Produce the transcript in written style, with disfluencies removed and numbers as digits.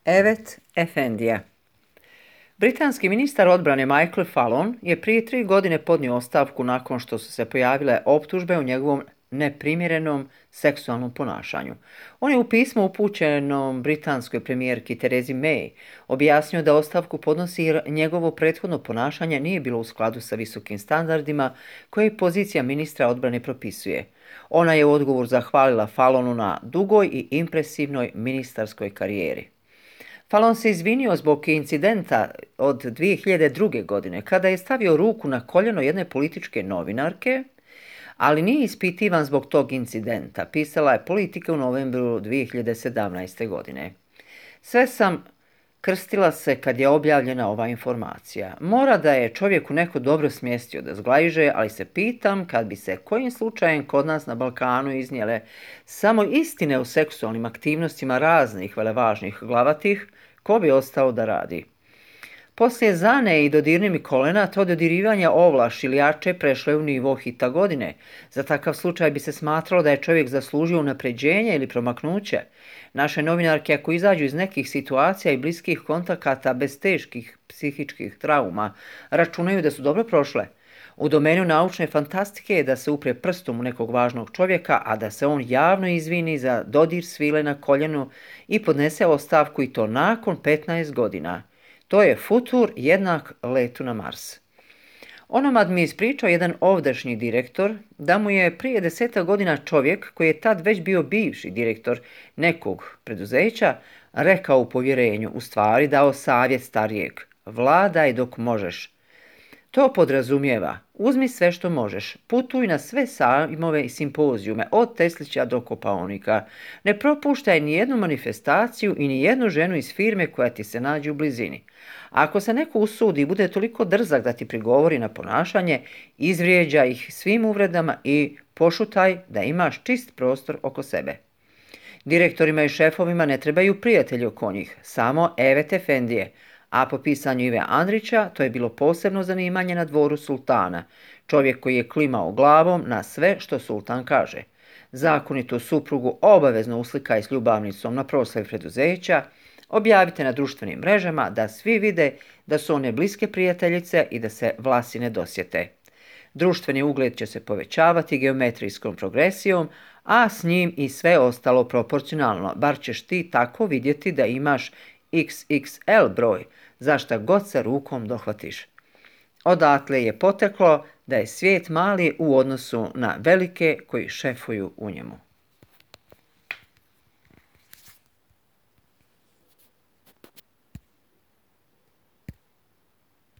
Evet Efendija. Britanski ministar odbrane Michael Fallon je prije 3 godine podnio ostavku nakon što su se pojavile optužbe o njegovom neprimjerenom seksualnom ponašanju. On je u pismu upućenom britanskoj premijerki Theresi May objasnio da ostavku podnosi jer njegovo prethodno ponašanje nije bilo u skladu sa visokim standardima koje pozicija ministra odbrane propisuje. Ona je u odgovor zahvalila Fallonu na dugoj i impresivnoj ministarskoj karijeri. Fallon se izvinio zbog incidenta od 2002. godine kada je stavio ruku na koljeno jedne političke novinarke, ali nije ispitivan zbog tog incidenta, pisala je Politika u novembru 2017. godine. Sve sam krstila se kad je objavljena ova informacija. Mora da je čovjeku neko dobro smjestio da zglajže, ali se pitam kad bi se kojim slučajem kod nas na Balkanu iznijele samo istine o seksualnim aktivnostima raznih velevažnih glavatih, ko bi ostao da radi. Poslije Zane i dodirni mi kolena, to dodirivanje ovlaš ili jače prešlo je u nivo hita godine. Za takav slučaj bi se smatralo da je čovjek zaslužio unapređenje ili promaknuće. Naše novinarke, ako izađu iz nekih situacija i bliskih kontakata bez teških psihičkih trauma, računaju da su dobro prošle. U domenu naučne fantastike je da se upre prstom u nekog važnog čovjeka, a da se on javno izvini za dodir svile na koljenu i podnese ostavku, i to nakon 15 godina. To je futur jednak letu na Mars. Onomad mi je ispričao jedan ovdašnji direktor da mu je prije 10 godina čovjek koji je tad već bio bivši direktor nekog preduzeća rekao u povjerenju, u stvari dao savjet starijeg: vladaj dok možeš. To podrazumijeva: uzmi sve što možeš, putuj na sve sajmove i simpozijume, od Teslića do Kopaonika. Ne propuštaj ni jednu manifestaciju i ni jednu ženu iz firme koja ti se nađe u blizini. Ako se neko usudi i bude toliko drzak da ti prigovori na ponašanje, izvrijeđa ih svim uvredama i pošutaj da imaš čist prostor oko sebe. Direktorima i šefovima ne trebaju prijatelji oko njih, samo Evet Efendije, a po pisanju Ive Andrića to je bilo posebno zanimanje na dvoru sultana, čovjek koji je klimao glavom na sve što sultan kaže. Zakonitu suprugu obavezno uslikaj s ljubavnicom na proslavi preduzeća, objavite na društvenim mrežama da svi vide da su one bliske prijateljice i da se vlasi ne dosjete. Društveni ugled će se povećavati geometrijskom progresijom, a s njim i sve ostalo proporcionalno, bar ćeš ti tako vidjeti da imaš XXL broj, za šta god se rukom dohvatiš. Odatle je poteklo da je svijet mali u odnosu na velike koji šefuju u njemu.